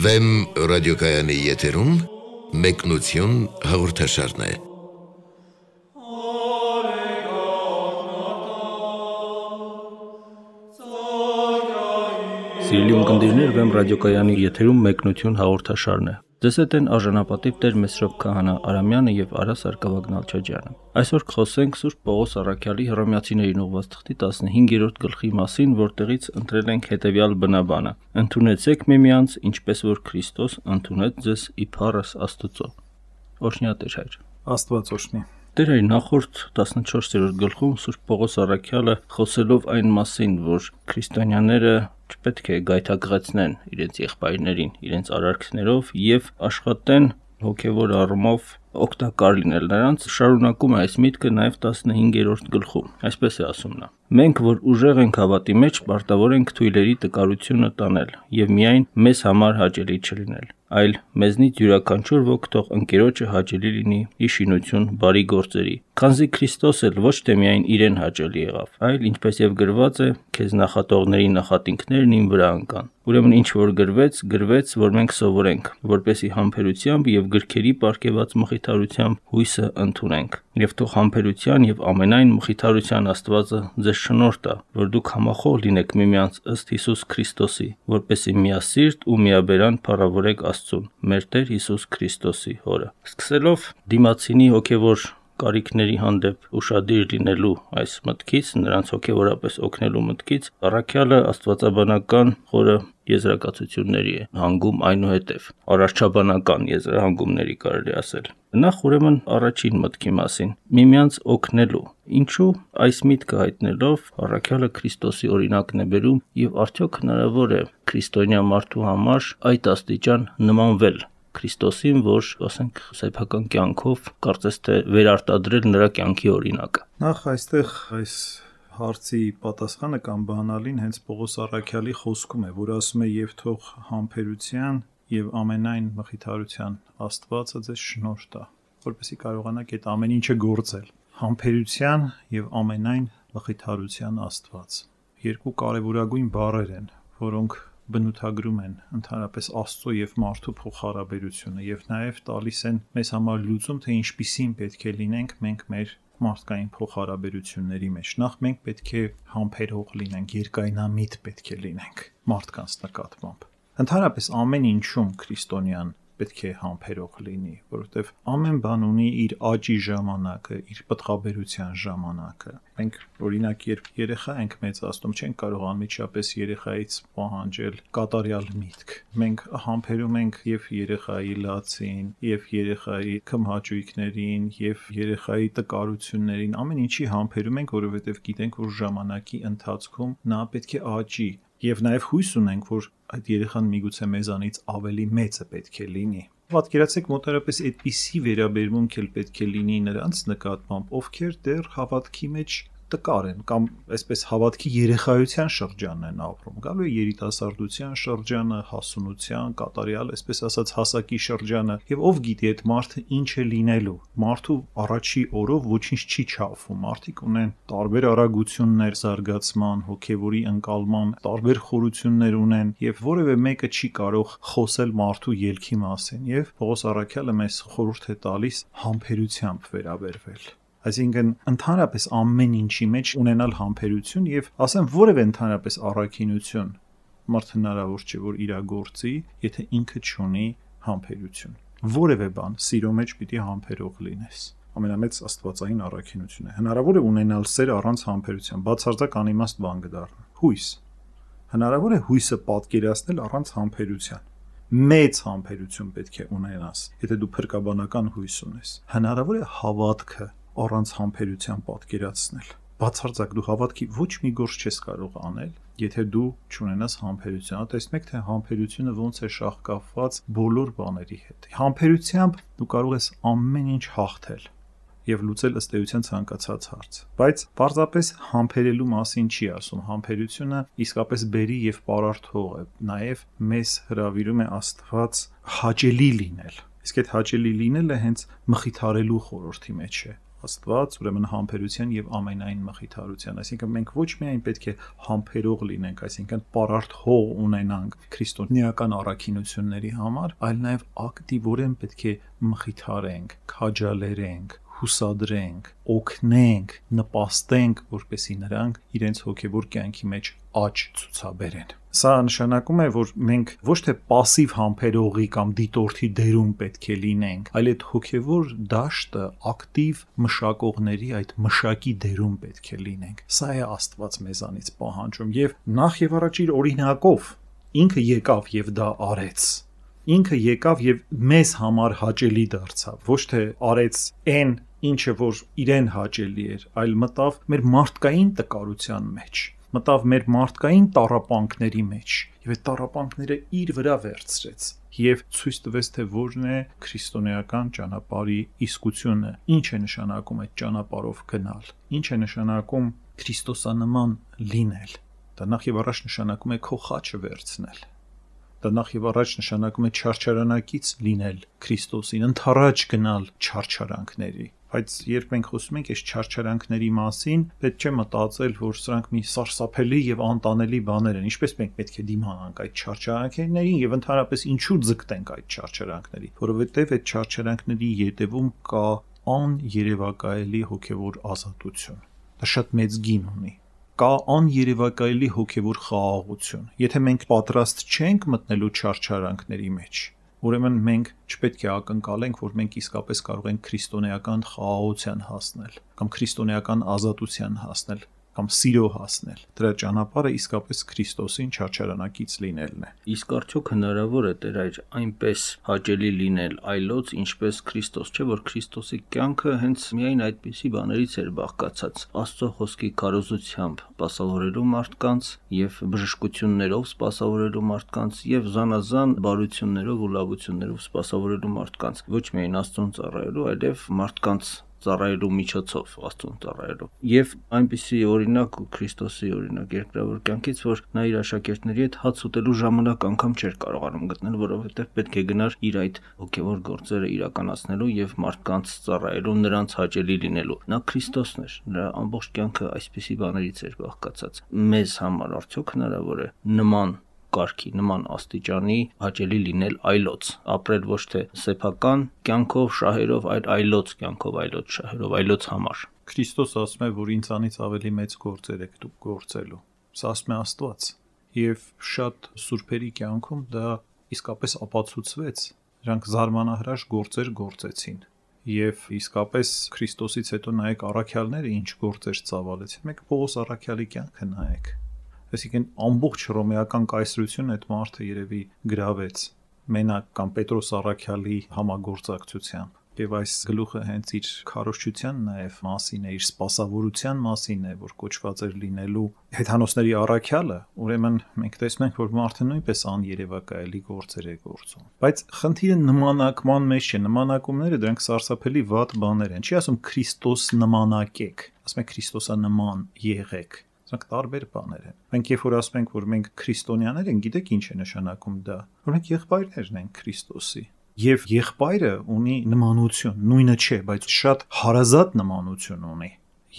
Վեմ ռադիոկայանի եթերում մեկնություն հաղորդաշարն է։ Սիրելի ունկնդիրներ, Վեմ ռադիոկայանի եթերում մեկնություն հաղորդաշարն է։ Ձեզ հետ են արժանապատիվ Տեր Մեսրոպ Քահանա Արամյանը եւ Արա Սարգսակյան։ Այսօր կխոսենք Սուրբ Պողոս Առաքյալի Հռոմեացիներին ուղղված թղթի 15-րդ գլխի մասին, որտեղից ընտրել ենք հետեւյալ բնաբանը. Ընդունեցեք միմյանց, ինչպես որ Քրիստոս ընդունեց ձեզ իբարս Աստծո։ Օրհնյա Տեր Հայր։ Աստված օրհնի։ Տեր Հայր, նախորդ 14-րդ գլխում Սուրբ Պողոս Առաքյալը խոսելով այն մասին, որ քրիստոնյաները չպետք է գայթակղեցնեն իրենց եղբայրներին, իրենց արարքներով եւ աշխատեն հոգեվոր առումով օգտակար լինել նրանց, շարունակում է այս միտքը նաև 15-րդ գլխում։ Այսպես է ասում նա. Մենք, որ ուժեղ ենք հավատի մեջ, պարտավոր ենք թույլերի տկարությունը տանել եւ միայն մեզ համար հաճելի չլինել, այլ մեզնից յուրաքանչյուր ոք թող ընկերոջը հաճելի լինի ի շինություն բարի գործերի, քանզի Քրիստոս էլ ոչ թե միայն իրեն հաճելի եղավ, այլ ինչպես եւ գրված է, քեզ նախատողների նախատինքներն իմ վրա ընկան։ Ուրեմն ինչ որ գրվեց, որ մենք սովորենք, որպեսի համբերությամբ եւ գրքերի պարգեված մխիթարությամբ հույսը ընդունենք։ Եվ թող համբերության եւ ամենայն մխիթարության Աստվածը ձեզ շնորհ տա, որ դուք համախոհ լինեք միմյանց ըստ Հիսուս Քրիստոսի, որպեսի միասիրտ ու միաբերան փառավորեք Աստծուն, մեր Տեր Հիսուս Քրիստոսի Հորը։ Սկսելով դիմացինի հոգեվոր կարիքների հանդեպ ուշադիր լինելու այս մտքից, նրանց հոգեվորապես օգնելու մտքից, Առաքյալը աստվածաբանական խորը եզրակացությունների է հանգում այնուհետև, արարչաբանական եզրահանգումների կարելի ասել։ Նախ ուրեմն առաջին մտքի մասին՝ միմյանց օգնելու։ Ինչու այս միտքը հայտնելով Առաքյալը Քրիստոսի օրինակն է բերում եւ արդյոք հնարավոր է քրիստոնյա մարդու համար այդ աստիճան նմանվել Քրիստոսին, որ, ասենք, սեփական կյանքով կարծես թե վերարտադրել նրա կյանքի օրինակը։ Նախ այստեղ այս հարցի պատասխանը կամ բանալին հենց Պողոս Առաքյալի խոսքում է, որ ասում է եւ թող համբերության եւ ամենայն մխիթարության Աստվածը ձեզ շնորհ տա, որպեսզի կարողանաք այդ ամեն ինչը գործել։ Համբերության եւ ամենայն մխիթարության Աստված։ Երկու կարևորագույն բառեր են, որոնք բնութագրում են ընդհանրապես Աստծո եւ մարդու փոխհարաբերությունը եւ նաեւ տալիս են մեզ համար լուծում, թե ինչպիսին պետք է լինենք մենք մեր մարդկային փոխհարաբերությունների մեջ։ Նախ մենք պետք է համբերող լինենք, երկայնամիտ պետք է լինենք մարդկանց նկատմամբ։ Ընդհանրապես ամեն ինչում քրիստոնյան պետք է համբերող լինի, որովհետև ամեն բան ունի իր աճի ժամանակը, իր պտղաբերության ժամանակը։ Մենք օրինակ երբ երեխա ենք մեծացնում, չենք կարող անմիջապես երեխայից պահանջել կատարյալ միտք։ Մենք համբերում ենք եւ երեխայի լացին, եւ երեխայի քմհաճույքներին, եւ երեխայի տկարություններին, ամեն ինչի համբերում ենք, որովհետև գիտենք, որ ժամանակի ընթացքում նա պետք է աճի։ Եվ նաև հույս ունենք, որ այդ երեխան միգուցե մեզանից ավելի մեծը պետք է լինի։ Պատկերացեք մոտավորապես այդպիսի վերաբերմունք էլ պետք է լինի նրանց նկատմամբ, ովքեր դեռ հավատքի մեջ տկար են կամ այսպես հավատքի երեխայության շրջանն են ապրում։ Գալու է երիտասարդության շրջանը, հասունության, կատարյալ, այսպես ասած, հասակի շրջանը, եւ ով գիտի այդ մարդը ինչ է լինելու։ Մարդու առաջի օրով ոչինչ չի չափվում։ Մարդիկ ունեն տարբեր արագություններ զարգացման, հոգեվորի ընկալման, տարբեր խորություններ ունեն եւ որևէ մեկը չի կարող խոսել մարդու ելքի մասին։ Եվ Պողոս Առաքյալը մեզ խորհուրդ է տալիս համբերությամբ վերաբերվել։ Այսինքն ընդհանրապես ամեն ինչի մեջ ունենալ համբերություն եւ ասեմ որևէ ընդհանրապես առաքինություն մարդ հնարավոր չէ որ իրագործի, եթե ինքը չունի համբերություն։ Որևէ բան սիրո մեջ պիտի համբերող լինես։ Ամենամեծ աստվածային առաքինությունը։ Հնարավոր է ունենալ սեր առանց համբերության, բացարձակ անիմաստ բան կդառնա։ Հույս։ Հնարավոր է հույսը պատկերացնել առանց համբերության։ Մեծ համբերություն պետք է ունենաս, եթե դու փրկաբանական հույս ունես։ Հնարավոր է հավատքը առանց համբերության պատկերացնել։ Բացարձակ դու հավատքի ոչ մի գործ չես կարող անել, եթե դու չունենաս համբերություն։ Տեսնեք, թե համբերությունը ոնց է շահկապված բոլոր բաների հետ։ Համբերությամբ դու կարող ես ամեն ինչ հաղթել եւ լուծել ըստ էության ցանկացած հարց։ Բայց պարզապես համբերելու մասին չի ասում։ Համբերությունը իսկապես բերի եւ պարարթող է։ Նաեւ մեզ հրավիրում է Աստված հաճելի լինել։ Իսկ այդ հաճելի լինելը հենց մխիթարելու խորհրդի մեջ է։ Աստված, ուրեմն համբերության եւ ամենայն մխիթարության, այսինքն մենք ոչ միայն պետք է համբերող լինենք, այսինքն պարարտ հող ունենանք քրիստոնեական առաքինությունների համար, այլ նաեւ ակտիվորեն պետք է մխիթարենք, քաջալերենք, հուսադրենք, օգնենք, նպաստենք, որպեսզի նրանք իրենց հոգևոր կյանքի մեջ աճ ցուցաբերեն։ Սա նշանակում է, որ մենք ոչ թե пассив համբերողի կամ դիտորդի դերում պետք է լինենք, այլ այդ հոգևոր դաշտը ակտիվ մշակողների այդ մշակի դերում պետք է լինենք։ Սա է Աստված մեզանից պահանջում եւ նախ եւ առաջ իր օրինակով ինքը եկավ եւ դա արեց։ Ինքը եկավ եւ մեզ համար հաճելի դարձավ, ոչ թե արեց այն, ինչը որ իրեն հաճելի էր, այլ մտավ մեր մարդկային տկարության մեջ, մտավ մեր մարդկային տառապանքների մեջ եւ այդ տառապանքները իր վրա վերցրեց եւ ցույց տվեց, թե որն է քրիստոնեական ճանապարհի իսկությունը, ինչ է նշանակում այդ ճանապարհով գնալ, ինչ է նշանակում Քրիստոսանման լինել։ Դա նախ եւ առաջ նշանակում է քո խաչը վերցնել։ Դա նախ եւ առաջ նշանակում է չարչարանակից լինել Քրիստոսին, ընթառաջ գնալ չարչարանքների։ Բայց երբ մենք խոսում ենք այս չարչարանքների մասին, պետք չէ մտածել, որ սրանք մի սարսափելի եւ անտանելի բաներ են։ Ինչպես մենք պետք է դիմանանք այդ չարչարանքներին եւ ընդհանրապես ինչու ձգտենք այդ չարչարանքների, որովհետեւ այդ չարչարանքների ետևում կա աներևակայելի հոգեվոր ազատություն։ Դա շատ մեծ գին ունի։ Կա աներևակայելի հոգևոր խաղաղություն։ Եթե մենք պատրաստ չենք մտնելու չարչարանքների մեջ, ուրեմն մենք չպետք է ակնկալենք, որ մենք իսկապես կարող ենք քրիստոնեական խաղաղության հասնել, կամ քրիստոնեական ազատության հասնել, կամ սիրո հասնել։ Դրա ճանապարհը իսկապես Քրիստոսին չարչարանակից լինելն է։ Իսկ արդյոք հնարավոր է Տեր այր այնպես հաճելի լինել այլոց, ինչպես Քրիստոս, չէ՞ որ Քրիստոսի կյանքը հենց միայն այդպիսի բաներից էր բաղկացած՝ Աստծո խոսքի քարոզությամբ սպասավորելու մարդկանց եւ բժշկություններով սպասավորելու մարդկանց եւ զանազան բարություններով ու լավություններով սպասավորելու մարդկանց, ոչ միայն Աստծուն ծառայելու, այլև մարդկանց ծառայելու միջոցով Աստծուն ծառայելու։ Եվ այնպիսի օրինակ Քրիստոսի օրինակ երկրավոր կյանքից, որ նա իր աշակերտների հետ հաց ուտելու ժամանակ անգամ չէր կարողանում գտնել, որովհետև պետք է գնար իր այդ հոգևոր գործերը իրականացնելու եւ մարդկանց ծառայելու, նրանց հաճելի լինելու։ Նա Քրիստոսն էր, նրա ամբողջ կյանքը այսպիսի բաներից էր բաղկացած։ Մեզ համար արդյոք հնարավոր է նման կարգի, նման աստիճանի հաճելի լինել այլոց, ապրել ոչ թե սեփական կյանքով, շահերով, այլ այլոց կյանքով, այլոց շահերով, այլոց համար։ Քրիստոս ասում է, որ ինձանից ավելի մեծ գործեր եք դուք գործելու։ Սա ասում է Աստված։ Եվ շատ սուրբերի կյանքում դա իսկապես ապացուցվեց։ Նրանք զարմանահրաշ գործեր գործեցին։ Եվ իսկապես Քրիստոսից հետո նայեք առաքյալները ինչ գործեր ծավալեցին։ Մեկ Պողոս առաքյալի կյանքը նայեք։ Այսինքն ամբողջ հռոմեական կայսրությունը այդ մարդը երևի գրավեց մենակ կամ Պետրոս առաքյալի համագործակցությամբ։ Եվ այս գլուխը հենց իր քարոզչության նաև մասին է, իր սպասավորության մասին է, որ կոչված էր լինելու հեթանոսների առաքյալը, ուրեմն մենք տեսնում ենք, որ մարդը նույնպես աներևակայելի գործեր է գործում։ Բայց խնդիրը նմանակման մեջ չէ, նմանակումները դրանք սարսափելի վատ բաներ են։ Չի ասում Քրիստոս նմանակեք, ասում է Քրիստոսանման եղեք։ Սրանք տարբեր բաներ են։ Մենք երբ որ ասում ենք, որ մենք քրիստոնյաներ ենք, գիտեք ինչ է նշանակում դա։ Որ մենք եղբայրներն ենք Քրիստոսի։ Եվ եղբայրը ունի նմանություն, նույնը չէ, բայց շատ հարազատ նմանություն ունի։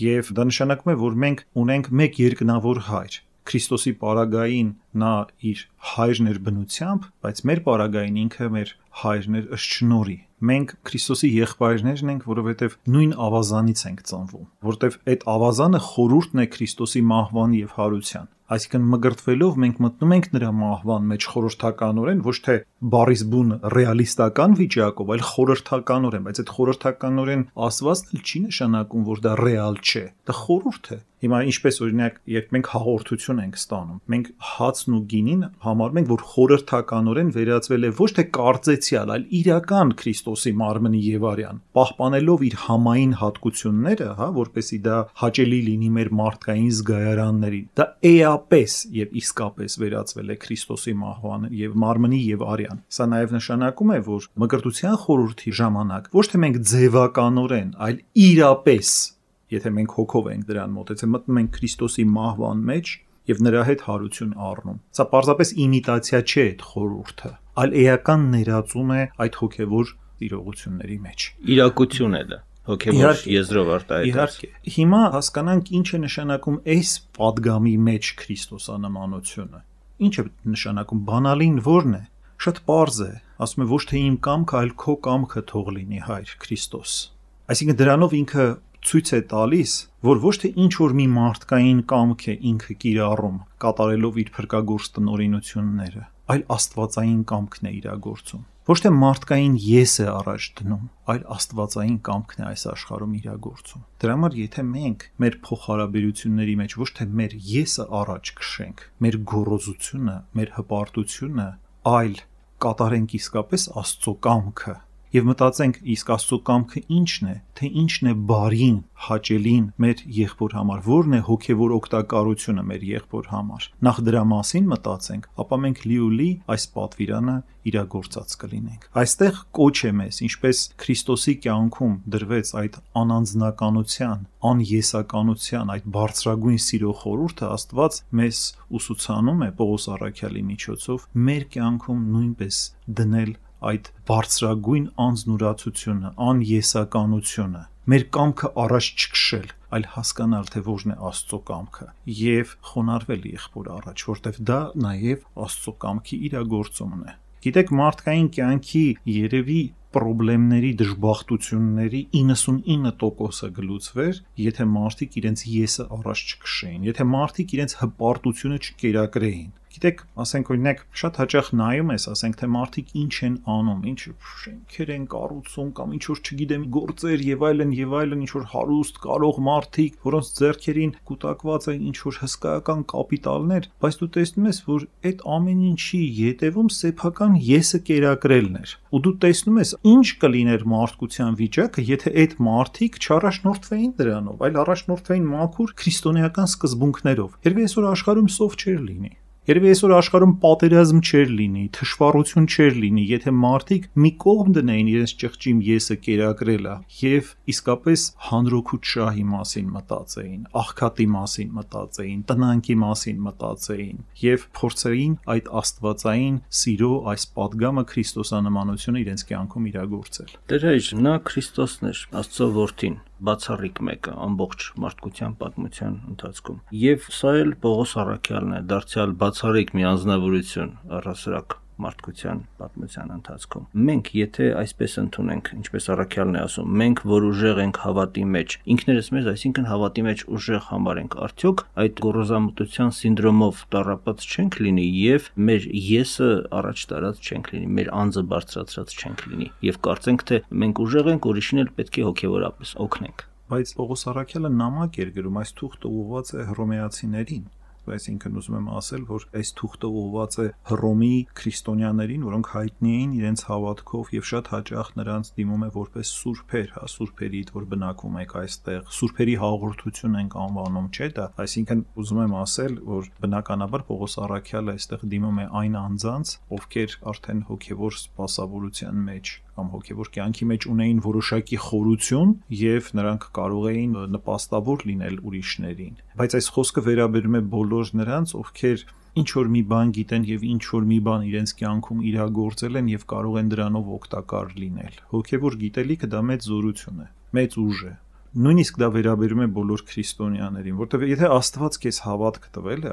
Եվ դա նշանակում է, որ մենք ունենք մեկ երկնավոր հայր։ Քրիստոսի պարագային նա իր հայրն էր բնությամբ, բայց մեր պարագային ինքը մեր հայրն էր ըստ շնորհի։ Մենք Քրիստոսի եղբայրներն ենք, որովհետև նույն ավազանից ենք ծնվում, որովհետև այդ ավազանը խորհուրդն է Քրիստոսի մահվան եւ հարության։ Այսինքն մգրտվելով մենք մտնում ենք նրա մահվան մեջ խորհրդականորեն, ոչ թե բառիս բուն ռեալիստական վիճակով, այլ խորհրդականորեն, բայց այդ խորհրդականորեն ասվածն էլ չի նշանակում, որ դա ռեալ չէ։ Դա խորհուրդ է։ Հիմա ինչպես օրինակ, երբ մենք հաղորդություն ենք ստանում, մենք հացն ու գինին համարում ենք, որ խորհրդականորեն վերածվել է ոչ թե կարծեցյալ, այլ իրական Քրիստոսի մարմնի եւ արյան, պահպանելով իր համային հատկությունները, որպեսզի դա հաճելի լինի մեր մարդկային զգայարաններին։ Դա էապես եւ իսկապես վերածվել է Քրիստոսի մահվան եւ մարմնի եւ արյան։ Սա նաեւ նշանակում է, որ մկրտության խորհրդի ժամանակ ոչ թե մենք ձևականորեն, այլ իրապես, եթե մենք հոգով ենք դրան մոտեցել, մտնում ենք Քրիստոսի մահվան մեջ եւ նրա հետ հարություն առնում։ Սա պարզապես իմիտացիա չէ այդ խորհուրդը, այլ էական ներածում է այդ հոգեվոր իրողությունների մեջ։ Իրակություն է դա։ հոգևոր եզրով արտահայտած։ Իհարկե։ Հիմա հասկանանք ինչ է նշանակում այս պատգամի մեջ քրիստոսանմանությունը։ Ինչ է նշանակում, բանալին որն է։ Շատ պարզ է, ասում է ոչ թե իմ կամքը, այլ քո կամքը թող լինի, Հայր Քրիստոս։ Այսինքն դրանով ինքը ցույց է տալիս, որ ոչ թե ինչ որ մի մարդկային կամք է ինքը կիրառում, կատարելով իր փրկագործ տնօրինությունները, այլ աստվածային կամքն է իրագործում։ Ոչ թե մարդկային ես է առաջ դնում, այլ աստվածային կամքն է այս աշխարհում իրագործում։ Դրա համար եթե մենք մեր փոխհարաբերությունների մեջ ոչ թե մեր եսը առաջ քշենք, մեր գոռոզությունը, մեր հպարտությունը, այլ կատարենք իսկապես Աստծո կամքը եւ մտածենք իսկ Աստծո կամքը ինչն է, թե ինչն է բարին, հաճելին մեր եղբոր համար, որն է հոգեվոր օգտակարությունը մեր եղբոր համար։ Նախ դրա մասին մտածենք, ապա մենք լիուլի այս պատվիրանը իրագործած կլինենք։ Այստեղ կոչ է մեզ, ինչպես Քրիստոսի կյանքում դրվեց այդ անանձնականության, անեսականության, այդ բարձրագույն սիրո խորհուրդը, Աստված մեզ ուսուցանում է Պողոս առաքյալի միջոցով մեր կյանքում նույնպես դնել այդ բարձրագույն անձնուրացությունը, անեսականությունը, մեր կամքը առաջ չքշել, այլ հասկանալ, թե որն է Աստծո կամքը եւ խոնարհվել եղբոր առաջ, որտեվ դա նաեւ Աստծո կամքի իրագործումն է։ Գիտեք, մարդկային կյանքի երևի պրոբլեմների, դժբախտությունների 99%-ը գլուծվեր, եթե մարդիկ իրենց եսը առաջ չքշեին, եթե մարդիկ իրենց հպարտությունը չկերակրեին։ Գիտեք, ասենք օրինակ, շատ հաճախ նայում ես, ասենք թե մարդիկ ինչ են անում, ինչ շենքեր են կառուցում կամ ինչ որ չգիտեմ գործեր եւ այլն, ինչ որ հարուստ, կարող մարդիկ, որոնց ձեռքերին կուտակված է ինչ որ հսկայական կապիտալներ, բայց դու տեսնում ես, որ այդ ամեն ինչի յետևում սեփական եսը կերակրելն էր։ Ու դու տեսնում ես, ինչ կլիներ մարդկության վիճակը, եթե այդ մարդիկ չառաջնորդվեին դրանով, այլ առաջնորդվեին մաքուր քրիստոնեական սկզբունքներով։ Երբ այսօր աշխարհում սով չէր լինի։ Երևի այսօր աշխարհում պատերազմ չէր լինի, թշվառություն չէր լինի, եթե մարդիկ մի կողմ դնեին իրենց ճղճիմ եսը կերակրելը եւ իսկապես հանրօգուտ շահի մասին մտածեին, աղքատի մասին մտածեին, տնանքի մասին մտածեին եւ փորձեին այդ աստվածային սիրո այս պատգամը քրիստոսանմանությունը իրենց կյանքում իրագործել։ Դեր նա Քրիստոսն էր, Աստծո որդին, բացառիկ մեկը ամբողջ մարդկության պատմության ընթացքում։ Եվ սա էլ Պողոս առաքյալն է, դարձյալ բացառիկ մի անձնավորություն առհասարակ մարդկության պատմության ընթացքում։ Մենք, եթե այսպես ընդունենք, ինչպես առաքյալն է ասում, մենք որ ուժեղ ենք հավատի մեջ, ինքներս մեզ, այսինքն հավատի մեջ ուժեղ համարենք, արդյոք այդ գոռոզամտության սինդրոմով տառապած չենք լինի եւ մեր եսը առաջ տարած չենք լինի, մեր անձը բարձրացրած չենք լինի եւ կարծենք, թե մենք ուժեղ ենք, ուրիշին էլ պետք է հոգեվորապես օգնենք։ Բայց Պողոս առաքյալը նամակ էր գրում, այս թուղթը ուղղված է հռոմեացիներին։ Այսինքն ուզում եմ ասել, որ այս թուղթը ուղղված է Հռոմի քրիստոնյաներին, որոնք հայտնի էին իրենց հավատքով եւ շատ հաճախ նրանց դիմում է որպես սուրբեր, սուրբերիդ, որ բնակվում եք այստեղ, սուրբերի հաղորդություն ենք անվանում, չէ՞ դա։ Այսինքն ուզում եմ ասել, որ բնականաբար Պողոս առաքյալը այստեղ դիմում է այն անձանց, ովքեր արդեն հոգեվոր սպասավորության մեջ կամ հոգեվոր կյանքի մեջ ունեին որոշակի խորություն եւ նրանք կարող էին նպաստավոր լինել ուրիշներին։ Բայց այս խոսքը վերաբերում է բոլոր նրանց, ովքեր ինչ որ մի բան գիտեն եւ ինչ որ մի բան իրենց կյանքում իրագործել են եւ կարող են դրանով օգտակար լինել։ Հոգեվոր գիտելիքը դա մեծ զորություն է, մեծ ուժ է։ Նույնիսկ դա վերաբերում է բոլոր քրիստոնյաներին, որտեղ եթե Աստված քեզ հավատք տվել է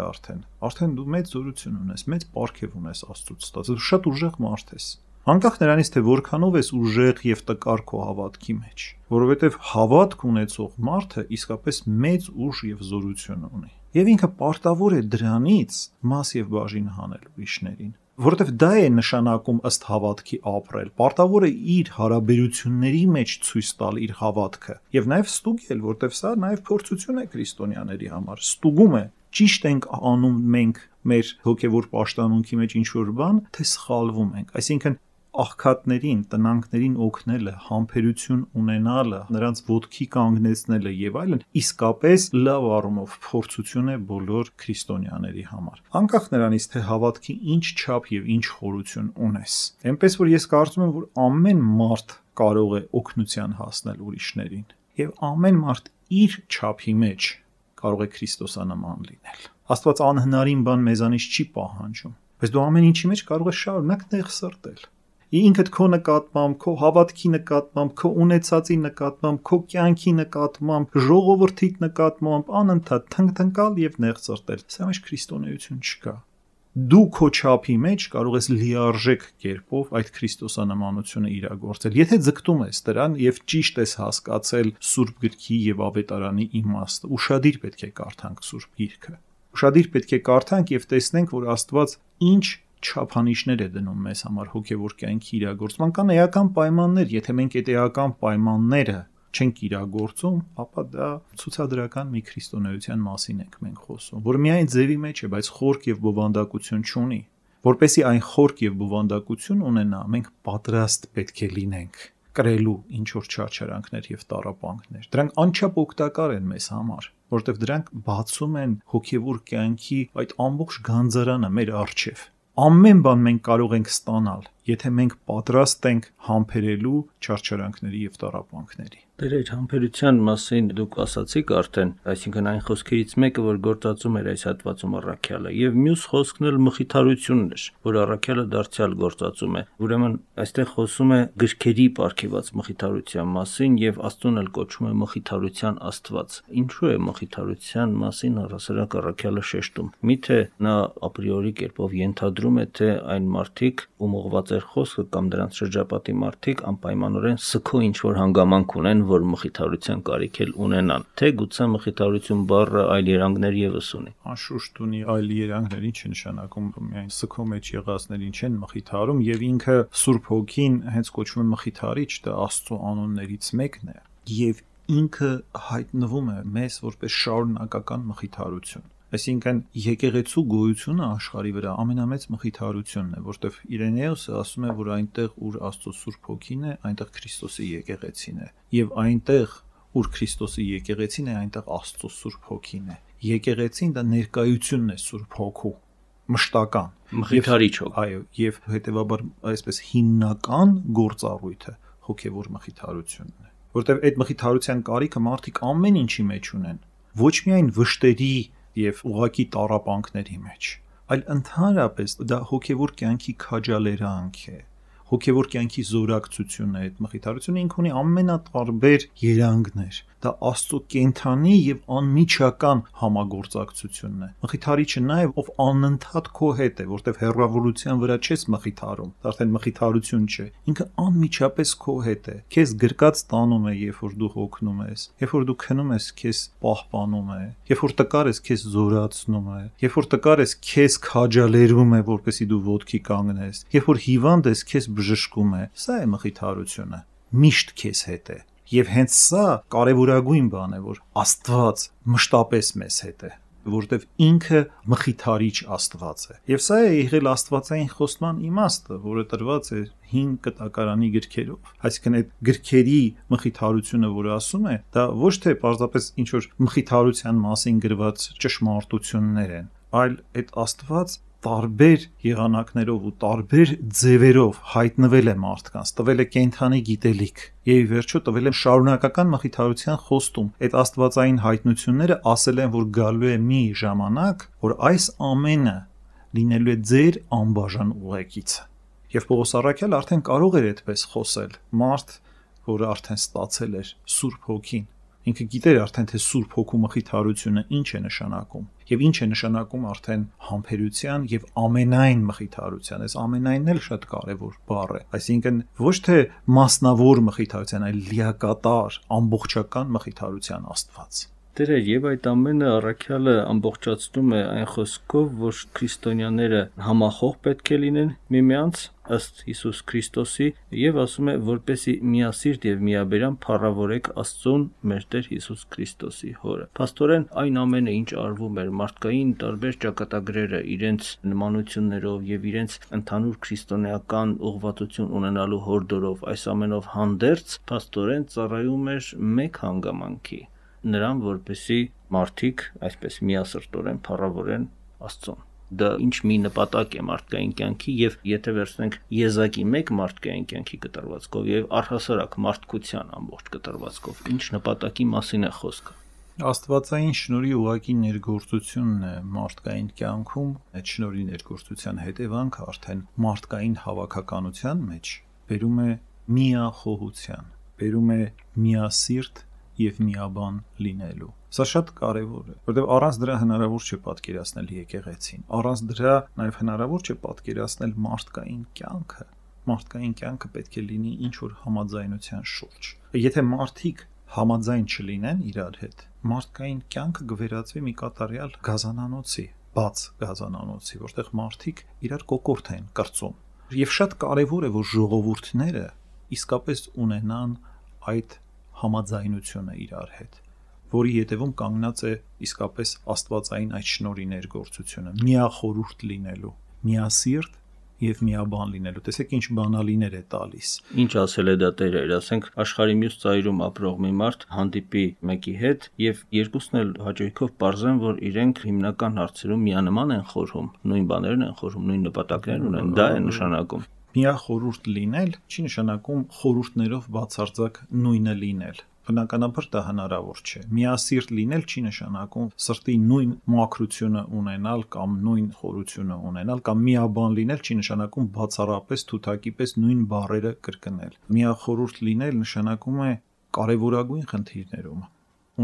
արդեն դու մեծ զորություն ունես, մեծ պարգև ունես Աստծուց ստացած, դու շատ ուժեղ մարդ ես։ Անկախ նրանից, թե որքանով ես ուժեղ եւ տկար քո հավատքի մեջ, որովհետեւ հավատք ունեցող մարդը իսկապես մեծ ուժ եւ զորություն ունի։ Եվ ինքը պարտավոր է դրանից մաս եւ բաժին հանել ուրիշներին, որովհետեւ դա է նշանակում ըստ հավատքի ապրել։ Պարտավոր է իր հարաբերությունների մեջ ցույց տալ իր հավատքը եւ նաեւ ստուգել, որովհետեւ սա նաեւ փորձություն է քրիստոնյաների համար, ստուգում է ճիշտ ենք անում մենք մեր հոգեվոր պաշտամունքի մեջ ինչ որ բան, թե սխալվում ենք։ Այսինքն աղքատներին, տնանքներին օգնելը, համբերություն ունենալը, նրանց ոտքի կանգնեցնելը եւ այլն, իսկապես լավ առումով փորձություն է բոլոր քրիստոնյաների համար։ Անկախ նրանից, թե հավատքի ինչ չափ եւ ինչ խորություն ունես։ Էնպես որ ես կարծում եմ, որ ամեն մարդ կարող է օգնության հասնել ուրիշներին եւ ամեն մարդ իր չափի մեջ կարող է քրիստոսանման լինել։ Աստված անհնարին բան մեզանից չի պահանջում, բայց դու ամեն ինչի մեջ կարող ես շարունակ նեղ սրտել։ ինքդ քո նկատմամբ, քո հավատքի նկատմամբ, քո ունեցածի նկատմամբ, քո կյանքի նկատմամբ, ժողովրդիդ նկատմամբ անընդհատ թնգթնկալ եւ նեղծրտել։ Սա մեջ քրիստոնեություն չկա։ Դու քո չափի մեջ կարող ես լիարժեք կերպով այդ քրիստոսանմանությունը իրագործել։ Եթե ձգտում ես դրան եւ ճիշտ ես հասկացել Սուրբ Գրքի եւ Ավետարանի իմաստը, ուշադիր պետք է կարդանք Սուրբ Գիրքը։ Ուշադիր պետք է կարդանք եւ տեսնենք, որ Աստված ինչ չափանիշներ է դնում մեզ համար հոգեվոր կյանքի իրագործման։ Կան էական պայմաններ, եթե մենք այդ էական պայմանները չենք իրագործում, ապա դա ցուցադրական մի քրիստոնեության մասին ենք մենք խոսում, որ միայն ձևի մեջ է, բայց խորք եւ բովանդակություն չունի։ Որպեսզի այն խորք եւ բովանդակություն ունենա, մենք պատրաստ պետք է լինենք կրելու ինչ որ չարչարանքներ եւ տառապանքներ։ Դրանք անչափ օգտակար են մեզ համար, որովհետեւ դրանք բացում են հոգեվոր կյանքի այդ ամբողջ գանձարանը մեր առջև։ Ամեն բան մենք կարող ենք ստանալ, եթե մենք պատրաստ ենք համբերելու չարչարանքների եւ տառապանքների։ Դեր այդ համբերության մասին դուք ասացիք արդեն, այսինքն այն խոսքերից մեկը, որ գործածում էր այս հատվածում առաքյալը, եւ մյուս խոսքն էլ մխիթարությունն էր, որ առաքյալը դարձյալ գործածում է։ Ուրեմն այստեղ խոսում է գրքերի ապարգևած մխիթարության մասին եւ Աստծուն էլ կոչում է մխիթարության Աստված։ Ինչու է մխիթարության մասին առասարակ առաքյալը շեշտում։ Միթե նա ապրիորի կերպով ենթադրում է, թե այն մարդիկ, ում ուղղված էր խոսքը կամ դրանց շրջապատի մարդիկ անպայմանորեն սքո ինչ որ հանգամանք ունեն, որ մխիթարության կարիք էլ ունենան, թե գուցե մխիթարություն բառը այլ երանգներ եւս ունի։ Անշուշտ ունի այլ երանգներ, ինչ է նշանակում, միայն սքո մեջ եղածներին չեն մխիթարում եւ ինքը Սուրբ Հոգին հենց կոչվում է մխիթարիչ, դա Աստծո անուններից մեկն է եւ ինքը հայտնվում է մեզ որպես շարունակական մխիթարություն։ Այսինքն եկեղեցու գոյությունը աշխարհի վրա ամենամեծ մխիթարությունն է, որտեղ Իրենեոսը ասում է, որ այնտեղ, ուր Աստծո Սուրբ Հոգին է, այնտեղ Քրիստոսի եկեղեցին է, եւ այնտեղ, ուր Քրիստոսի եկեղեցին է, այնտեղ Աստծո Սուրբ Հոգին է։ Եկեղեցին դա ներկայությունն է Սուրբ Հոգու, մշտական, մխիթարիչ հոգ։ Այո, եւ հետեւաբար այսպես հիմնական գործառույթը հոգեվոր մխիթարությունն է, որտեղ այդ մխիթարության կարիքը մարդիկ ամեն ինչի մեջ ունեն, ոչ միայն վշտերի եւ ուղակի տառապանքների մեջ, այլ ընդհանրապես դա հոգեվոր կյանքի քաջալերանք է, հոգեվոր կյանքի զորակցությունն է։ Այդ մխիթարությունը ինքը ունի ամենատարբեր երանգներ։ Դա Աստծո կենթանի եւ անմիջական համագործակցությունն է։ Մխիթարիչը նաեւ ով անընդհատ քո հետ է, որտեվ հեռավորության վրա չես մխիթարում, դա արդեն մխիթարություն չէ։ Ինքը անմիջապես քո հետ է։ Քեզ գրկած տանում է, երբ որ դու հոգնում ես, երբ որ դու քնում ես, քեզ պահպանում է, երբ որ տկար ես, քեզ զորացնում է, երբ որ տկար ես, քեզ քաջալերում է, որպեսզի դու ոտքի կանգնես, երբ որ հիվանդ ես, քեզ բժշկում է։ Սա է մխիթարությունը։ Միշտ քեզ հետ է։ Եվ հենց սա կարևորագույն բան է, որ Աստված մշտապես մեզ հետ է, որովհետև ինքը մխիթարիչ Աստված է։ Եվ սա է եղել աստվածային խոստման իմաստը, որը տրված է հին կտակարանի գրքերով։ Այսինքն այդ գրքերի մխիթարությունը, որը ասում է, դա ոչ թե պարզապես ինչ որ մխիթարության մասին գրված ճշմարտություններ են, այլ այդ Աստված տարբեր եղանակներով ու տարբեր ձևերով հայտնվել է մարդկանց, տվել է կենթանի գիտելիք եւ ի վերջո տվել է շարունակական մխիթարության խոստում։ Այդ աստվածային հայտնությունները ասել են, որ գալու է մի ժամանակ, որ այս ամենը լինելու է ձեր անբաժան ուղեկիցը։ Եվ Պողոս առաքյալը արդեն կարող էր այդպես խոսել։ Մարդ, որը արդեն ստացել էր Սուրբ Հոգին, ինքը գիտեր արդեն թե Սուրբ Հոգու մխիթարությունը ինչ է նշանակում եւ ինչ է նշանակում արդեն համբերության եւ ամենայն մխիթարության։ Այս ամենայնն էլ շատ կարեւոր բառ է, այսինքն ոչ թե մասնավոր մխիթարության, այլ լիակատար ամբողջական մխիթարության Աստված։ Դերեր եւ այդ ամենը առաքյալը ամբողջացնում է այն խոսքով, որ քրիստոնյաները համախոհ պետք է լինեն միմյանց ըստ Հիսուս Քրիստոսի եւ ասում է, որպեսի միասիրտ եւ միաբերան փառավորեք Աստծուն մեր Տեր Հիսուս Քրիստոսի Հորը։ Փաստորեն այն ամենը, ինչ արվում էր մարդկային տարբեր ճակատագրերը իրենց նմանություններով եւ իրենց ընդհանուր քրիստոնեական ուղղվածություն ունենալու հորդորով, այս ամենով հանդերձ փաստորեն ծառայում էր մեկ հանգամանքի, նրան, որպեսի մարդիկ այսպես միասրտորեն փառավորեն Աստծուն։ Դա ինչ մի նպատակ է մարդկային կյանքի եւ եթե վերցնենք եզակի մեկ մարդկային կյանքի կտրվածքով եւ առհասարակ մարդկության ամբողջ կտրվածքով, ինչ նպատակի մասին է խոսքը։ Աստվածային շնորհի ուղակի ներգործությունն է մարդկային կյանքում, այդ շնորհի ներգործության հետևանքը արդեն մարդկային հավաքականության մեջ բերում է միախոհության, բերում է միասիրտ եւ միաբան լինելու։ Սա շատ կարևոր է, որովհետեւ առանց դրա հնարավոր չէ պատկերացնել եկեղեցին։ Առանց դրա նաեւ հնարավոր չէ պատկերացնել մարդկային կյանքը։ Մարդկային կյանքը պետք է լինի ինչ որ համաձայնության շուրջ։ Եթե մարդիկ համաձայն չլինեն իրար հետ, մարդկային կյանքը կվերածվի մի կատարյալ գազանանոցի, բաց գազանանոցի, որտեղ մարդիկ իրար կոկորդ են կրծում։ Եվ շատ կարևոր է, որ ժողովուրդները իսկապես ունենան այդ համաձայնությունը իրար հետ, որի հետևում կանգնած է իսկապես աստվածային այդ շնորհի ներգործությունը, միախորհուրդ լինելու, միասիրտ եւ միաբան լինելու։ Տեսեք ինչ բանալիներ է տալիս։ Ինչ ասել է դա Տերը, ասենք աշխարհի մյուս ծայրում ապրող մի մարդ հանդիպի մեկի հետ եւ երկուսն էլ հաճույքով պարզեն, որ իրենք հիմնական հարցերում միանման են խորհում, նույն բաներն են խորհում, նույն նպատակներն ունեն, դա է նշանակում։ Միախորհուրդ լինել չի նշանակում խորհուրդներով բացարձակ նույնը լինել։ Բնականաբար դա հնարավոր չէ։ Միասիրտ լինել չի նշանակում սրտի նույն մաքրությունը ունենալ կամ նույն խորությունը ունենալ կամ միաբան լինել չի նշանակում բացառապես թութակի պես նույն բառերը կրկնել։ Միախորհուրդ լինել նշանակում է կարևորագույն խնդիրներում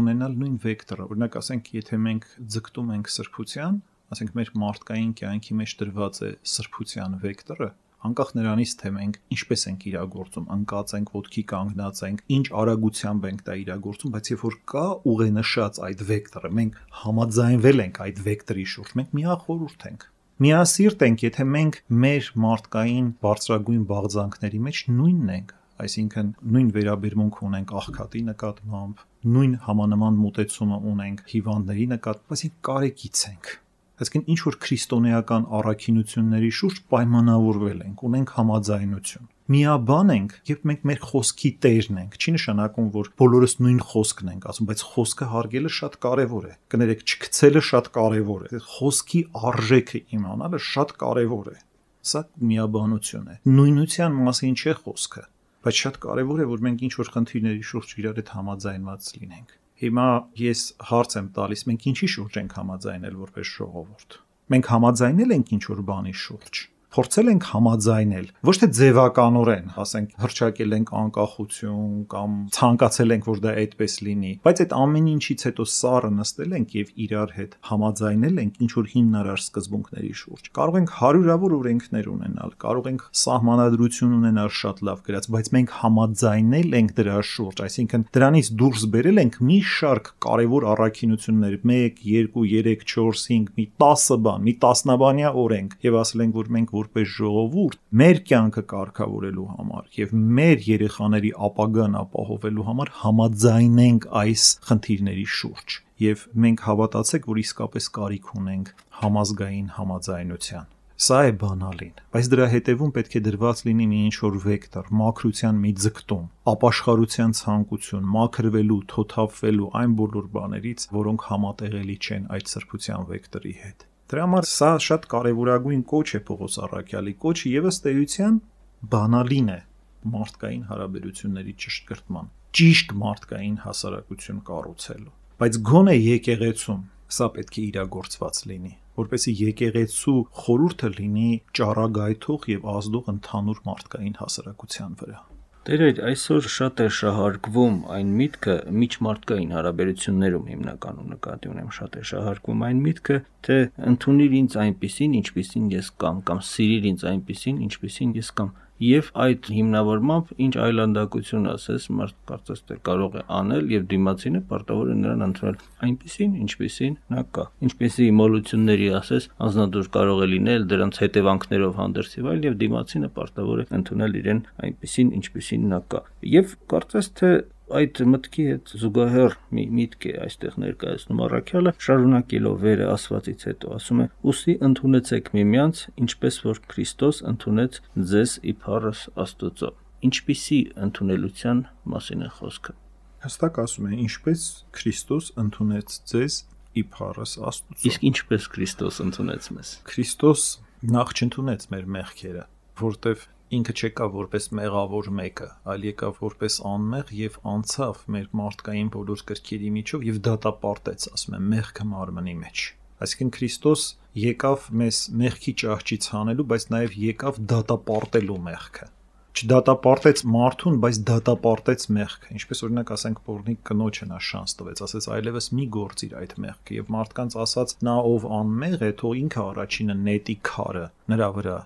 ունենալ նույն վեկտորը։ Օրինակ ասենք, եթե մենք ձգտում ենք սրբության, ասենք մեր մարդկային կյանքի մեջ դրված է սրբության վեկտորը, անկախ նրանից թե մենք ինչպես ենք իրագործում, անկած ենք, ոտքի կանգնած ենք, ինչ արագությամբ ենք դա իրագործում, բայց երբ որ կա ուղենշած այդ վեկտորը, մենք համաձայնվել ենք այդ վեկտորի շուրջ, մենք միախորհուրդ ենք։ Միասիրտ ենք, եթե մենք մեր մարդկային բարձրագույն բաղձանքների մեջ նույնն ենք, այսինքն նույն վերաբերմունք ունենք աղքատի նկատմամբ, նույն համանման մոտեցումը ունենք հիվանդների նկատմամբ, այսինքն կարեկից ենք։ Այսինքն ինչ որ քրիստոնեական առաքինությունների շուրջ պայմանավորվել ենք, ունենք համաձայնություն։ Միաբան ենք, երբ մենք մեր խոսքի տերն ենք, չի նշանակում, որ բոլորս նույն խոսքն ենք ասում, բայց խոսքը հարգելը շատ կարևոր է։ Կներեք, չգցելը շատ կարևոր է։ Խոսքի արժեքը իմանալը շատ կարևոր է։ Սա միաբանություն է։ Նույնության մասին չէ խոսքը, բայց շատ կարևոր է, որ մենք ինչ որ խնդիրների շուրջ իրար հետ համաձայնված լինենք։ Հիմա ես հարց եմ տալիս, մենք ինչի շուրջ ենք համաձայնել որպես ժողովուրդ։ Մենք համաձայնել ենք ինչ որ բանի շուրջ։ Փորձել ենք համաձայնել, ոչ թե ձևականորեն, ասենք, հռչակել ենք անկախություն կամ ցանկացել ենք, որ դա այդպես լինի, բայց այդ ամեն ինչից հետո սառը նստել ենք եւ իրար հետ համաձայնել ենք ինչ որ հիմնարար սկզբունքների շուրջ։ Կարող ենք հարյուրավոր օրենքներ ունենալ, կարող ենք սահմանադրություն ունենալ շատ լավ գրած, բայց մենք համաձայնել ենք դրա շուրջ, այսինքն դրանից դուրս բերել ենք մի շարք կարևոր առաքինություններ, 1, 2, 3, 4, 5, մի 10 բան, մի տասնաբանյա օրենք եւ ասել ենք, որ մենք որպես ժողովուրդ մեր կյանքը կարգավորելու համար եւ մեր երեխաների ապագան ապահովելու համար համաձայնենք այս խնդիրների շուրջ եւ մենք հավատացեք, որ իսկապես կարիք ունենք համազգային համաձայնության։ Սա է բանալին, բայց դրա հետևում պետք է դրված լինի մի ինչ-որ վեկտոր, մաքրության մի ձգտում, ապաշխարության ցանկություն, մաքրվելու, թոթափվելու այն բոլոր բաներից, որոնք համատեղելի չեն այդ սրբության վեկտորի հետ։ Դրա համար սա շատ կարևորագույն կոչ է Պողոս առաքյալի կոչը եւ ըստ էության բանալին է մարդկային հարաբերությունների ճշտկրտման, ճիշտ մարդկային հասարակություն կառուցելու։ Բայց գոնե եկեղեցում սա պետք է իրագործված լինի, որպեսզի եկեղեցու խորհուրդը լինի ճառագայթող եւ ազդող ընդհանուր մարդկային հասարակության վրա։ Տեր, այսօր շատ է շահարկվում այն միտքը միջմարտկային հարաբերություններում հիմնականում նկատի ունեմ, շատ է շահարկվում այն միտքը, թե ընդունիր ինձ այնպիսին, ինչպիսին ես կամ սիրիր ինձ այնպիսին, ինչպիսին ես կամ եւ այդ հիմնավորմամբ ինչ այլանդակություն ասես, մարդ կարծես թե կարող է անել եւ դիմացինը պարտավոր է նրան ընդունել այնպիսին, ինչպիսին նա կա։ Ինչպիսի մոլությունների ասես, անznադուր կարող է լինել դրանց հետևանքներով հանդերձ եւ այլ եւ դիմացինը պարտավոր է ընդունել իրեն այնպիսին, ինչպիսին նա կա։ Եվ կարծես թե այդ մտքի հետ զուգահեռ մի միտք է այստեղ ներկայացնում առաքյալը, շարունակելով վերը ասվածից հետո ասում է. «Ուսի ընդունեցեք միմյանց, ինչպես որ Քրիստոս ընդունեց ձեզ իբարս Աստուծո»։ Ինչպիսի ընդունելության մասին է խոսքը։ Հստակ ասում է, ինչպես Քրիստոս ընդունեց ձեզ իբարս Աստուծո։ Իսկ ինչպես Քրիստոս ընդունեց մեզ։ Քրիստոս նախ չընդունեց մեր մեղքերը, որտեվ ինքը չեկավ որպես մեղավոր մեկը, այլ եկավ որպես անմեղ եւ անցավ մեր մարդկային բոլոր կրքերի միջով եւ դատապարտեց, ասում եմ, մեղքը մարմնի մեջ։ Այսինքն Քրիստոս եկավ մեզ մեղքի ճահճից հանելու, բայց նաեւ եկավ դատապարտելու մեղքը։ չդատապարտեց մարդուն, բայց դատապարտեց մեղքը։ Ինչպես օրինակ ասենք Պողնիկ կնոջը նա շանս տվեց, ասեց այլևս մի գործիր այդ մեղքը, եւ մարդկանց ասաց նա ով անմեղ է, թող ինքը առաջինը նետի քարը նրա վրա,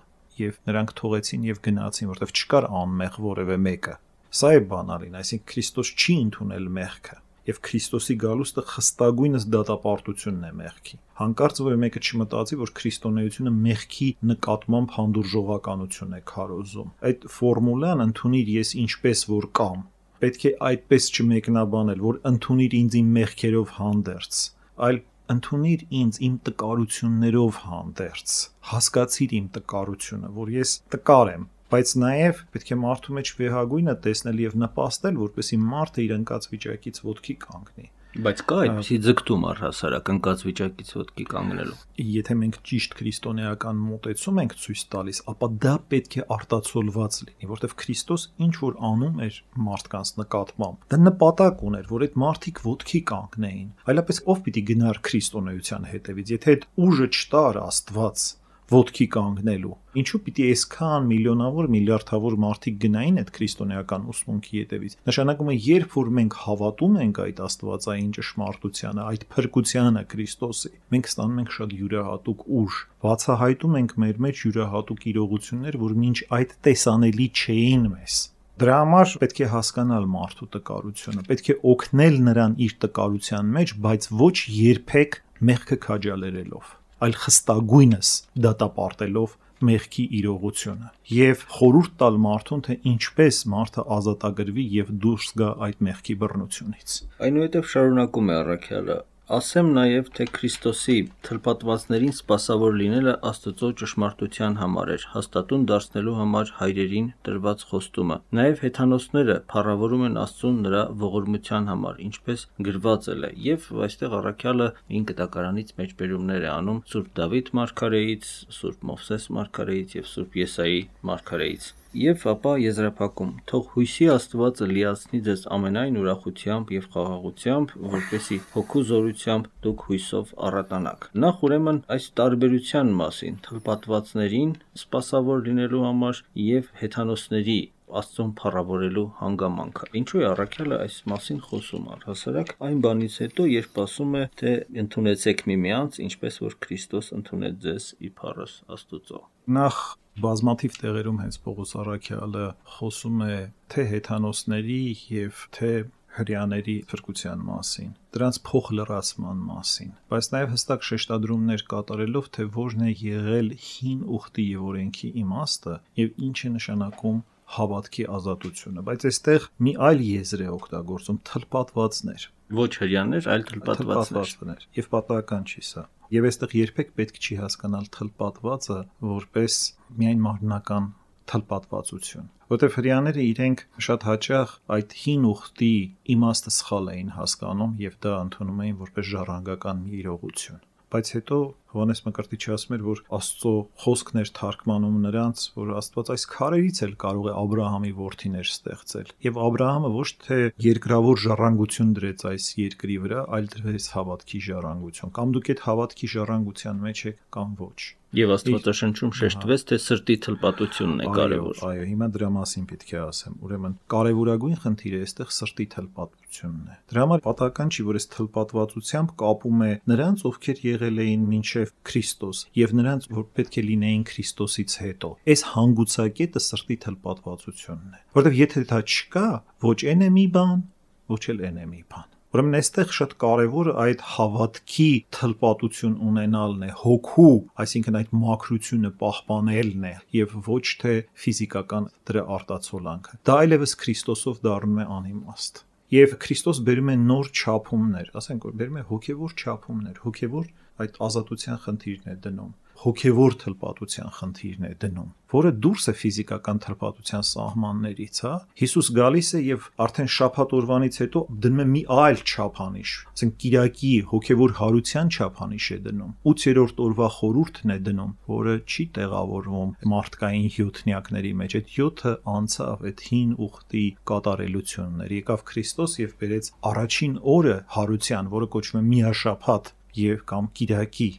եւ նրանք թողեցին եւ գնացին, որովհետեւ չկար անմեղ որևէ մեկը։ Սա է բանալին, այսինքն Քրիստոս չի ընդունել մեղքը։ Եվ Քրիստոսի գալուստը խստագույնս դատապարտությունն է մեղքի։ Հանկարծ որ մեկը չմտածի, որ քրիստոնեությունը մեղքի նկատմամբ հանդուրժողականություն է քարոզում։ Այդ ֆորմուլան ընդունիր ես ինչպես որ կամ, պետք է այդպես չմեկնաբանել, որ ընդունիր ինձ իմ մեղքերով հանդերձ, այլ ընդունիր ինձ իմ տկարություններով հանդերձ։ Հասկացիր իմ տկարությունը, որ ես տկար եմ, բայց նաև պետք է մարդու մեջ վեհագույնը տեսնել եւ նպաստել, որպեսզի մարդը իր ընկած վիճակից ոտքի կանգնի։ Բայց կա այդպիսի ձգտում առհասարակ ընկած վիճակից ոտքի կանգնելու։ Եթե մենք ճիշտ քրիստոնեական մոտեցում ենք ցույց տալիս, ապա դա պետք է արտացոլված լինի, որովհետև Քրիստոս ինչ որ անում էր մարդկանց նկատմամբ, դա նպատակ ուներ, որ այդ մարդիկ ոտքի կանգնեին։ Այլապես ով պիտի գնար քրիստոնեության հետևից, եթե այդ ուժը չտար Աստված ոտքի կանգնելու։ Ինչու պիտի այսքան միլիոնավոր, միլիարդավոր մարդիկ գնային այդ քրիստոնեական ուսմունքի հետևից։ Նշանակում է, երբ որ մենք հավատում ենք այդ աստվածային ճշմարտությանը, այդ փրկությանը Քրիստոսի, մենք ստանում ենք շատ յուրահատուկ ուժ, բացահայտում ենք մեր մեջ յուրահատուկ իրողություններ, որ մինչ այդ տեսանելի չէին մեզ։ Դրա համար պետք է հասկանալ մարդու տկարությունը, պետք է օգնել նրան իր տկարության մեջ, բայց ոչ երբեք մեղքը քաջալերելով, այլ խստագույնս դատապարտելով մեղքի իրողությունը եւ խորհուրդ տալ մարդուն, թե ինչպես մարդը ազատագրվի եւ դուրս գա այդ մեղքի բռնությունից։ Այնուհետև շարունակում է առաքյալը. ասեմ նաև, թե Քրիստոսի թլպատվածներին սպասավոր լինելը Աստծո ճշմարտության համար էր, հաստատուն դարձնելու համար հայրերին տրված խոստումը։ Նաև հեթանոսները փառավորում են Աստծուն նրա ողորմության համար, ինչպես գրված է, եւ այստեղ առաքյալը 9 կտակարանից մեջբերումներ է անում Սուրբ Դավիթ մարգարեից, Սուրբ Մովսես մարգարեից եւ Սուրբ Եսայի մարգարեից։ Եվ ապա եզրափակում. թող հույսի Աստվածը լիացնի ձեզ ամենայն ուրախությամբ եւ խաղաղությամբ, որպեսզի հոգու զորությամբ դուք հույսով առատանաք։ Նախ ուրեմն այս տարբերության մասին, թլպատվածներին սպասավոր լինելու համար եւ հեթանոսների Աստծուն փառավորելու հանգամանքը։ Ինչու է առաքյալը այս մասին խոսում առհասարակ այն բանից հետո, երբ ասում է, թե ընդունեցեք միմյանց, ինչպես որ Քրիստոս ընդունեց ձեզ իբարս Աստծո։ Նախ բազմաթիվ տեղերում հենց Պողոս առաքյալը խոսում է թե հեթանոսների եւ թե հրեաների փրկության մասին, դրանց փոխլրացման մասին, բայց նաև հստակ շեշտադրումներ կատարելով, թե որն է եղել հին ուխտի եւ օրենքի իմաստը եւ ինչ է նշանակում հավատքի ազատությունը, բայց այստեղ մի այլ եզր է օգտագործում թլպատվածներ։ Ոչ հրեաներ, այլ թլպատվածներ։ Եվ պատահական չի սա։ Եվ այստեղ երբեք պետք չի հասկանալ թլպատվածը որպես միայն մարմնական թլպատվածություն, որտեղ հրեաները իրենք շատ հաճախ այդ հին ուխտի իմաստը սխալ էին հասկանում եւ դա ընդունում էին որպես ժառանգական մի իրողություն։ Բայց հետո Հովհաննես Մկրտիչը ասում էր, որ Աստծո խոսքն էր թարգմանում նրանց, որ Աստված այս քարերից էլ կարող է Աբրահամի որդիներ ստեղծել։ Եվ Աբրահամը ոչ թե երկրավոր ժառանգություն դրեց այս երկրի վրա, այլ դրեց հավատքի ժառանգություն։ Կամ դուք այդ հավատքի ժառանգության մեջ եք, կամ ոչ։ Եվ Աստվածաշնչում շեշտվեց, թե սրտի թլպատությունն է կարևոր։ Այո, հիմա դրա մասին պետք է ասեմ։ Ուրեմն կարևորագույն խնդիրը այստեղ սրտի թլպատությունն է։ Դրա համար պատահական չի, որ այս թլպատվածությամբ կապում է նրանց, ովքեր եղել էին մինչև Քրիստոս, եւ նրանց, որ պետք է լինեին Քրիստոսից հետո։ Այս հանգուցակետը սրտի թլպատվածությունն է։ Որովհետեւ եթե դա չկա, ոչ այն է մի բան, ոչ էլ այն է մի բան։ Ուրեմն այստեղ շատ կարևորը այդ հավատքի թլպատություն ունենալն է, հոգու, այսինքն այդ մաքրությունը պահպանելն է եւ ոչ թե ֆիզիկական դրա արտացոլանքը։ Դա այլևս Քրիստոսով դառնում է անիմաստ։ Եվ Քրիստոս բերում է նոր չափումներ, ասենք որ բերում է հոգեվոր չափումներ, հոգեվոր այդ ազատության խնդիրն է դնում, հոգեվոր թլպատության խնդիրն է դնում, որը դուրս է ֆիզիկական թլպատության սահմաններից, հա։ Հիսուս գալիս է եւ արդեն շաբաթ օրվանից հետո դնում է մի այլ չափանիշ, ասենք Կիրակի հոգեվոր հարության չափանիշ է դնում, 8-րդ օրվա խորհուրդն է դնում, որը չի տեղավորվում մարդկային հյութնյակների մեջ, այդ 7-ը անցավ այդ հին ուխտի կատարելություններ, եկավ Քրիստոս եւ բերեց առաջին օրը հարության, որը կոչվում է միաշաբաթ եւ կամ Կիրակի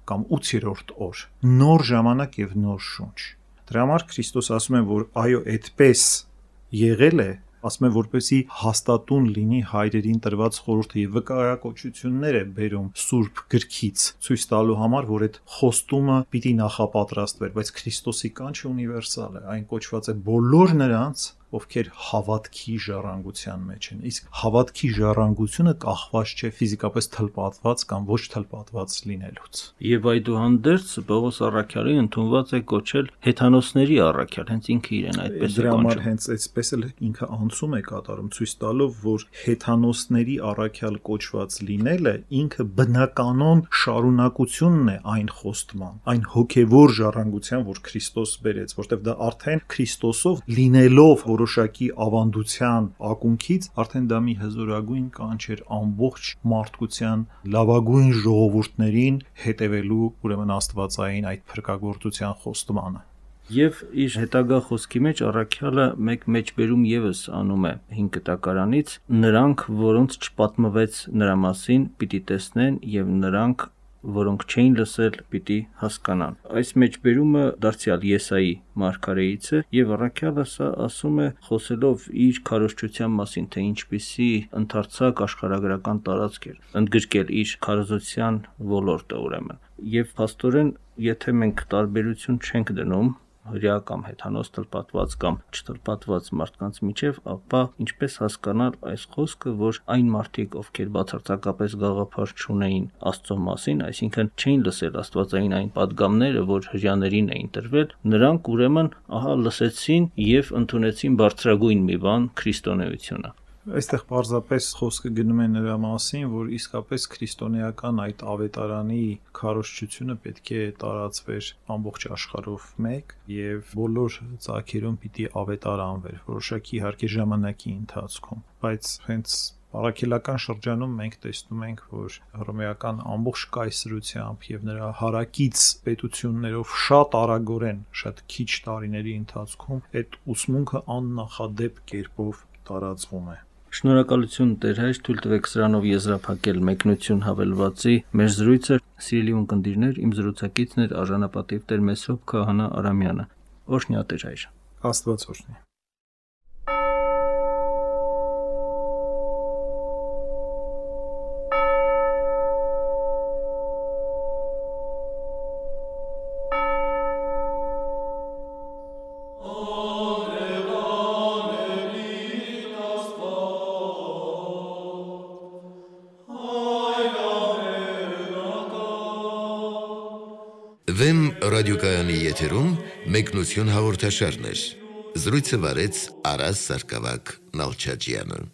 կամ 8-րդ օր, նոր ժամանակ եւ նոր շունչ։ Դրա համար Քրիստոս ասում է, որ այո, այդպես եղել է, ասում է, որպեսզի հաստատուն լինի հայրերին տրված խորհուրդը եւ վկայակոչություններ է բերում Սուրբ գրքից, ցույց տալու համար, որ այդ խոստումը պիտի նախապատրաստվեր, բայց Քրիստոսի կանչը ունիվերսալ է, այն կոչված է բոլոր նրանց, ովքեր հավատքի ժառանգության մեջ են։ Իսկ հավատքի ժառանգությունը կախված չէ ֆիզիկապես թլպատված կամ ոչ թլպատված լինելուց։ Եվ այդուհանդերձ Պողոս առաքյալի ընդունված է կոչել հեթանոսների առաքյալ, հենց ինքը իրեն այդպես է կոչում։ կոչում։ Հենց այսպես էլ ինքը անցում է կատարում, ցույց տալով, որ հեթանոսների առաքյալ կոչված լինելը ինքը բնականon շարունակությունն է այն խոստման, այն հոգևոր ժառանգության, որ Քրիստոս բերեց, որտեղ դա արդեն Քրիստոսով լինելով որոշակի ավանդության ակունքից արդեն դա մի հզորագույն կանչ էր ամբողջ մարդկության լավագույն ժողովուրդներին հետևելու ուրեմն աստվածային այդ փրկagorցության խոստմանը։ Եվ իր հետագա խոսքի մեջ առաքյալը մեկ մեջբերում եւս անում է 5 կտակարանից, նրանք, որոնց չպատմվեց նրա մասին, պիտի տեսնեն եւ նրանք, որոնք չէին լսել, պիտի հասկանան։ Այս մեջբերումը դարձյալ Եսայի մարգարեից է եւ առաքյալը սա ասում է խոսելով իր քարոզչության մասին, թե ինչպիսի ընդարձակ աշխարհագրական տարածք էր ընդգրկել իր քարոզության ոլորտը ուրեմն։ Եվ փաստորեն, եթե մենք տարբերություն չենք դնում հրյա կամ հեթանոս թլպատված կամ չթլպատված մարդկանց միջև, ապա ինչպես հասկանալ այս խոսքը, որ այն մարդիկ, ովքեր բացարձակապես գաղափար չունեին Աստծո մասին, այսինքն չէին լսել աստվածային այն падգամները, որ հրյաներին էին տրվել, նրանք ուրեմն ահա լսեցին եւ ընդունեցին բարձրագույն մի բան՝ քրիստոնեությունը։ Այստեղ պարզապես խոսքը գնում է նրա մասին, որ իսկապես քրիստոնեական այդ ավետարանի քարոզչությունը պետք է տարածվեր ամբողջ աշխարհով մեկ եւ բոլոր ծագերում պիտի ավետարանվեր, որոշակի իհարկե ժամանակի ընթացքում, բայց հենց առաքելական շրջանում մենք տեսնում ենք, որ հռոմեական ամբողջ կայսրությամբ եւ նրա հարակից պետություններով շատ արագորեն, շատ քիչ տարիների ընթացքում այդ ուսմունքը աննախադեպ կերպով տարածվում է։ Շնորհակալություն Տեր հայր, թույլ տվեք սրանով եզրափակել մեկնություն հավելվածի մեր զրույցը։ Սիրելի ունկնդիրներ, իմ զրուցակիցն էր արժանապատիվ Տեր Մեսրոպ Քահանա Արամյանը։ Օրհնյա Տեր հայր։ Աստված օրհնի։ Վեմ ռադիոկայանի եթերում մեկնություն հաղորդաշարներ։ Զրույցը վարեց Արաս Սարգսակյան Նալչաջյանը։